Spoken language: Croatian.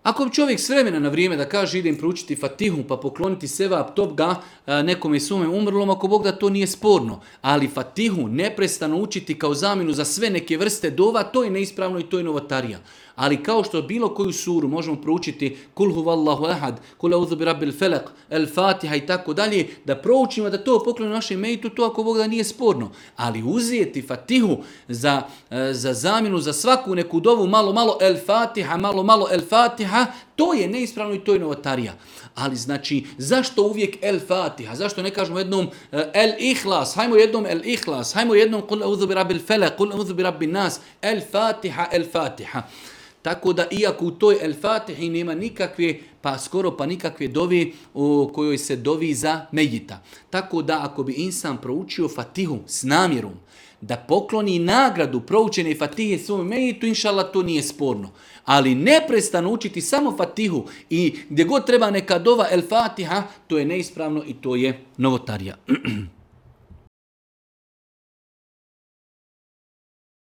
Ako bi čovjek s vremena na vrijeme da kaže idem proučiti Fatihu pa pokloniti sevap toga nekome svome umrlom, ako Bog da to nije sporno. Ali Fatihu neprestano učiti kao zamjenu za sve neke vrste dova, to je neispravno i to je novotarija. Ali kao što bilo koju suru možemo proučiti Kul huvallahu ahad, Kul a'udhu bi rabbil felak, El Fatiha i tako dalje, da proučimo da to poklonimo našem mejitu, to ako Bog da nije sporno. Ali uzeti Fatihu za zamjenu za svaku neku dovu malo El Fatiha, malo El Fatiha, to je neispravno i to je novotarija. Ali znači, zašto uvijek El Fatiha? Zašto ne kažemo jednom El Ihlas? Hajmo jednom El Ihlas. Hajmo jednom Kul a'udhu bi rabbil felak, Kul a'udhu bi rabbin nas. El Fatiha, El Fatiha. Tako da iako u toj El Fatihi nema nikakve, pa skoro pa nikakve dovi u kojoj se dovi za mejita. Tako da ako bi insan proučio Fatihu s namjerom da pokloni nagradu proučene Fatihe svom mejitu, inšallah to nije sporno. Ali neprestano učiti samo Fatihu i gdje god treba neka dova El Fatiha, to je neispravno i to je novotarija.